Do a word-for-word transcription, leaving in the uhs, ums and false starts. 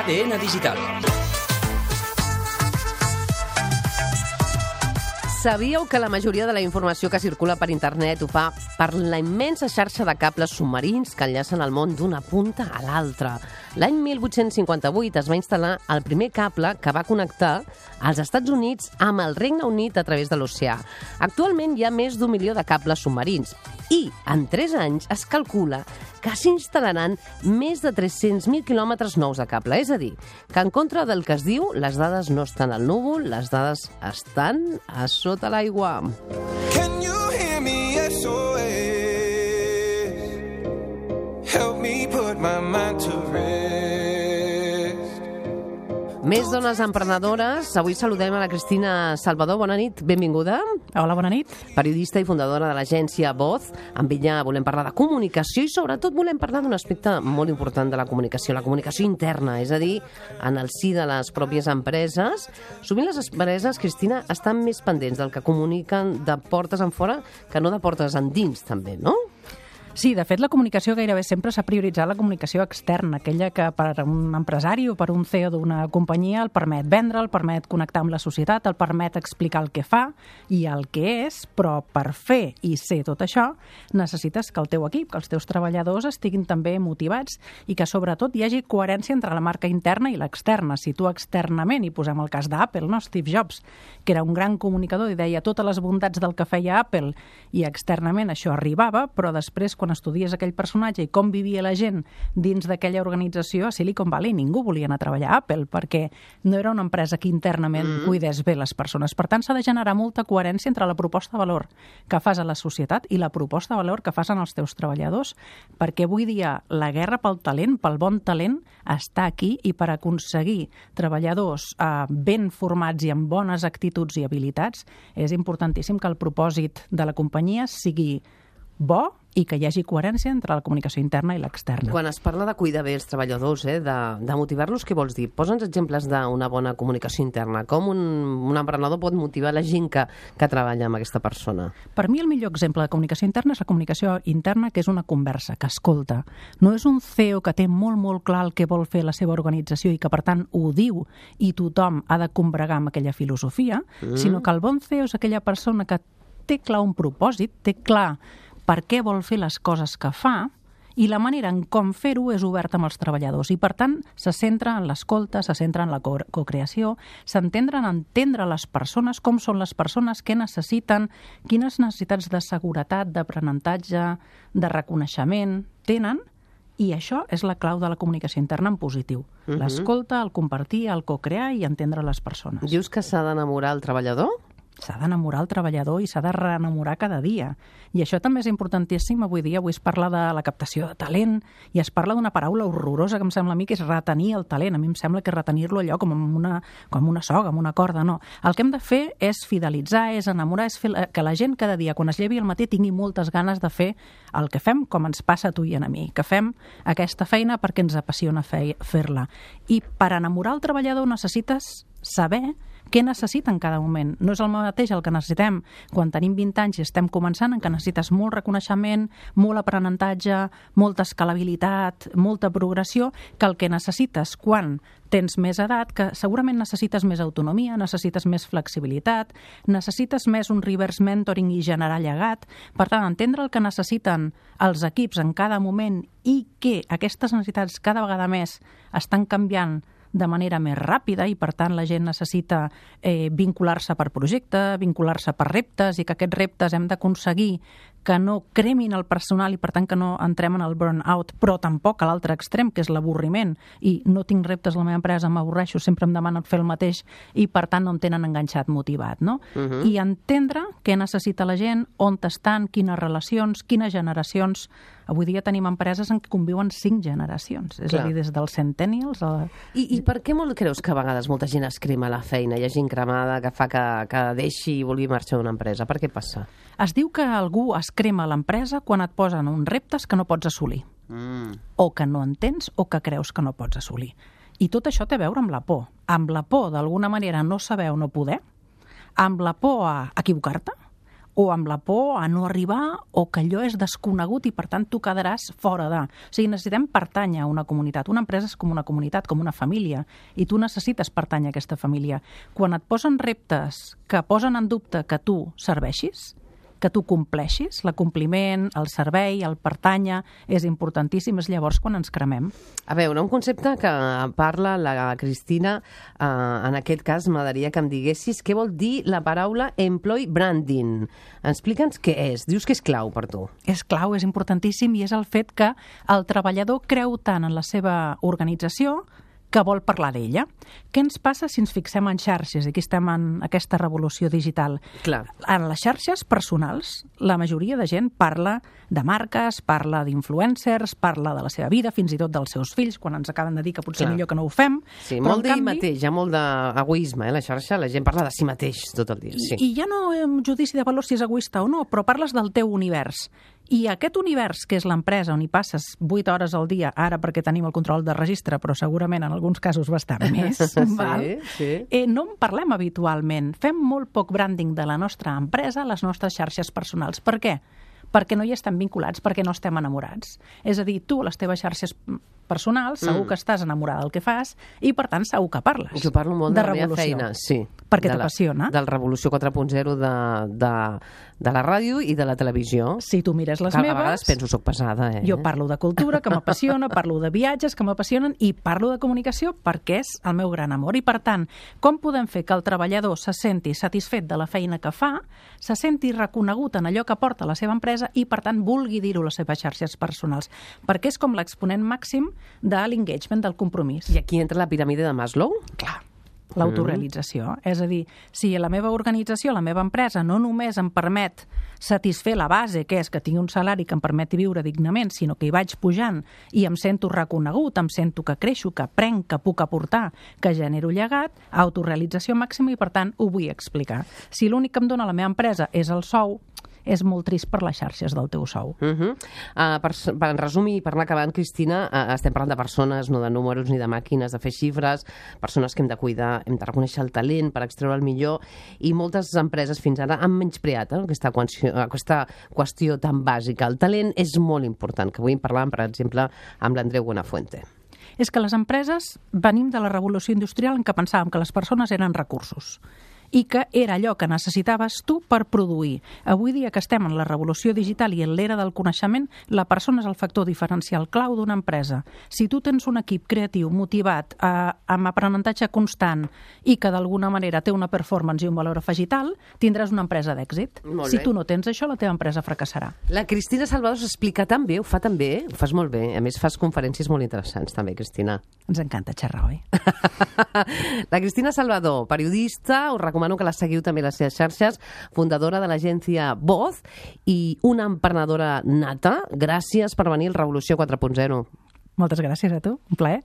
D N Digital. Sabíeu que la majoria de la informació que circula per internet ho fa per la immensa xarxa de cables submarins que enllacen el món d'una punta a l'altra? L'any mil vuit-cents cinquanta-vuit es va instal·lar el primer cable que va connectar als Estats Units amb el Regne Unit a través de l'oceà. Actualment hi ha més d'un milió de cables submarins i en tres anys es calcula que s'instal·laran més de tres-cents mil quilòmetres nous de cable. És a dir, que en contra del que es diu, les dades no estan al núvol, les dades estan a sota l'aigua. Can you hear me? S O S. Help me put my mind to rest. Més dones emprenedores. Avui saludem a la Cristina Salvador. Bona nit, benvinguda. Hola, bona nit. Periodista i fundadora de l'agència Voz. Amb ella volem parlar de comunicació i sobretot volem parlar d'un aspecte molt important de la comunicació, la comunicació interna, és a dir, en el si de les pròpies empreses. Sovint les empreses, Cristina, estan més pendents del que comuniquen de portes en fora que no de portes endins, també, no? Sí, de fet, la comunicació gairebé sempre s'ha prioritzat la comunicació externa, aquella que per a un empresari o per un C E O d'una companyia el permet vendre, el permet connectar amb la societat, el permet explicar el que fa i el que és, però per fer i ser tot això necessites que el teu equip, que els teus treballadors estiguin també motivats i que sobretot hi hagi coherència entre la marca interna i l'externa. Si tu externament, i posem el cas d'Apple, no? Steve Jobs, que era un gran comunicador i deia totes les bondats del que feia Apple i externament això arribava, però després quan estudies aquell personatge i com vivia la gent dins d'aquella organització, a Silicon Valley ningú volia anar a treballar a Apple perquè no era una empresa que internament mm. cuidés bé les persones. Per tant, s'ha de generar molta coherència entre la proposta de valor que fas a la societat i la proposta de valor que fas en els teus treballadors, perquè avui dia la guerra pel talent, pel bon talent, està aquí i per aconseguir treballadors eh, ben formats i amb bones actituds i habilitats és importantíssim que el propòsit de la companyia sigui bo i que hi hagi coherència entre la comunicació interna i l'externa. Quan es parla de cuidar bé els treballadors, eh, de, de motivar-los, què vols dir? Posa'ns exemples d'una bona comunicació interna. Com un, un emprenedor pot motivar la gent que, que treballa amb aquesta persona? Per mi el millor exemple de comunicació interna és la comunicació interna que és una conversa, que escolta. No és un C E O que té molt, molt clar el que vol fer la seva organització i que, per tant, ho diu i tothom ha de combregar amb aquella filosofia, mm. sinó que el bon C E O és aquella persona que té clar un propòsit, té clar per què vol fer les coses que fa i la manera en com fer-ho és oberta amb els treballadors. I, per tant, se centra en l'escolta, se centra en la co cocreació, s'entendre en entendre les persones, com són les persones, què necessiten, quines necessitats de seguretat, d'aprenentatge, de reconeixement tenen, i això és la clau de la comunicació interna en positiu. Uh-huh. L'escolta, el compartir, el cocrear i entendre les persones. Dius que s'ha d'enamorar el treballador? S'ha d'enamorar el treballador i s'ha de reenamorar cada dia. I això també és importantíssim avui dia. Avui es parla de la captació de talent i es parla d'una paraula horrorosa que em sembla a mi que és retenir el talent. A mi em sembla que retenir-lo allò com una, com una soga, amb una corda, no. El que hem de fer és fidelitzar, és enamorar, és fer que la gent cada dia, quan es llevi al matí, tingui moltes ganes de fer el que fem, com ens passa a tu i a mi, que fem aquesta feina perquè ens apassiona fer-la. I per enamorar el treballador necessites saber què necessita en cada moment. No és el mateix el que necessitem quan tenim vint anys i estem començant, en què necessites molt reconeixement, molt aprenentatge, molta escalabilitat, molta progressió, que el que necessites quan tens més edat, que segurament necessites més autonomia, necessites més flexibilitat, necessites més un reverse mentoring i generar llegat. Per tant, entendre el que necessiten els equips en cada moment i que aquestes necessitats cada vegada més estan canviant de manera més ràpida i, per tant, la gent necessita eh, vincular-se per projecte, vincular-se per reptes i que aquests reptes hem d'aconseguir que no cremin el personal i, per tant, que no entrem en el burn-out, però tampoc a l'altre extrem, que és l'avorriment. I no tinc reptes a la meva empresa, m'avorreixo, sempre em demanen fer el mateix i, per tant, no em tenen enganxat, motivat, no? Uh-huh. I entendre què necessita la gent, on estan, quines relacions, quines generacions. Avui dia tenim empreses en què conviuen cinc generacions, és Clar. a dir, des dels centennials a... I, I per què molt creus que a vegades molta gent es crema la feina? Hi ha gent cremada que fa que, que deixi i vulgui marxar d'una empresa. Per què passa? Es diu que algú es crema a l'empresa quan et posen uns reptes que no pots assolir, mm. o que no entens o que creus que no pots assolir. I tot això té a veure amb la por. Amb la por, d'alguna manera, no saber o no poder, amb la por a equivocar-te, o amb la por a no arribar, o que allò és desconegut i, per tant, tu quedaràs fora de. O sigui, necessitem pertànyer a una comunitat. Una empresa és com una comunitat, com una família, i tu necessites pertànyer a aquesta família. Quan et posen reptes que posen en dubte que tu serveixis, que tu compleixis, l'acompliment, el servei, el pertànyer, és importantíssim, és llavors quan ens cremem. A veure, un concepte que parla la Cristina, eh, en aquest cas m'agradaria que em diguessis què vol dir la paraula employee branding. Explica'ns què és. Dius que és clau per tu. És clau, és importantíssim, i és el fet que el treballador creu tant en la seva organització que vol parlar d'ella. Què ens passa si ens fixem en xarxes? Aquí estem en aquesta revolució digital. Clar. En les xarxes personals, la majoria de gent parla de marques, parla d'influencers, parla de la seva vida, fins i tot dels seus fills, quan ens acaben de dir que potser Clar. millor que no ho fem. Sí, Però, molt en d'ell canvi, mateix, hi ha molt d'egoisme, eh, la xarxa, la gent parla de si mateix tot el dia. Sí. I, I ja no hi ha un judici de valor si és egoista o no, però parles del teu univers. I aquest univers, que és l'empresa on hi passes vuit hores al dia, ara perquè tenim el control de registre, però segurament en alguns casos bastant més, sí, val? sí. Eh, no en parlem habitualment. Fem molt poc branding de la nostra empresa a les nostres xarxes personals. Per què? Perquè no hi estem vinculats, perquè no estem enamorats. És a dir, tu, les teves xarxes personals, segur Mm. que estàs enamorada del que fas i, per tant, segur que parles. Jo parlo molt de, de la meva revolució. feina, sí. Perquè De la- t'apassiona. Del Revolució quatre punt zero de, de, de la ràdio i de la televisió. Si tu mires les Que a meves... vegades penso, soc pesada, eh? Jo parlo de cultura, que m'apassiona, parlo de viatges, que m'apassionen, i parlo de comunicació perquè és el meu gran amor. I, per tant, com podem fer que el treballador se senti satisfet de la feina que fa, se senti reconegut en allò que porta la seva empresa i, per tant, vulgui dir-ho a les seves xarxes personals? Perquè és com l'exponent màxim de l'engagement, del compromís. I aquí entra la piràmide de Maslow? Clar, l'autorealització. Mm. És a dir, si la meva organització, la meva empresa, no només em permet satisfer la base, que és que tingui un salari que em permeti viure dignament, sinó que hi vaig pujant i em sento reconegut, em sento que creixo, que aprenc, que puc aportar, que genero llegat, autorealització màxima, i per tant ho vull explicar. Si l'únic que em dona la meva empresa és el sou, és molt trist per les xarxes del teu sou. Uh -huh. uh, per, per en resum i per anar acabant, Cristina, uh, estem parlant de persones, no de números ni de màquines, de fer xifres, persones que hem de cuidar, hem de reconèixer el talent per extreure el millor, i moltes empreses fins ara han menyspreat eh, aquesta, qüestió, aquesta qüestió tan bàsica. El talent és molt important, que avui en parlàvem, per exemple, amb l'Andreu Buenafuente. És que les empreses venim de la revolució industrial en què pensàvem que les persones eren recursos i que era allò que necessitaves tu per produir. Avui dia que estem en la revolució digital i en l'era del coneixement, la persona és el factor diferencial clau d'una empresa. Si tu tens un equip creatiu, motivat, eh, amb aprenentatge constant i que d'alguna manera té una performance i un valor afegit alt, tindràs una empresa d'èxit. Molt Si bé. tu no tens això, la teva empresa fracassarà. La Cristina Salvador s'explica tan bé, ho fa tan bé, ho fas molt bé. A més, fas conferències molt interessants també, Cristina. Ens encanta xerrar, oi? La Cristina Salvador, periodista, us recomano que la seguiu també a les seves xarxes, fundadora de l'agència Voz i una emprenedora nata. Gràcies per venir al Revolució quatre punt zero. Moltes gràcies a tu, un plaer.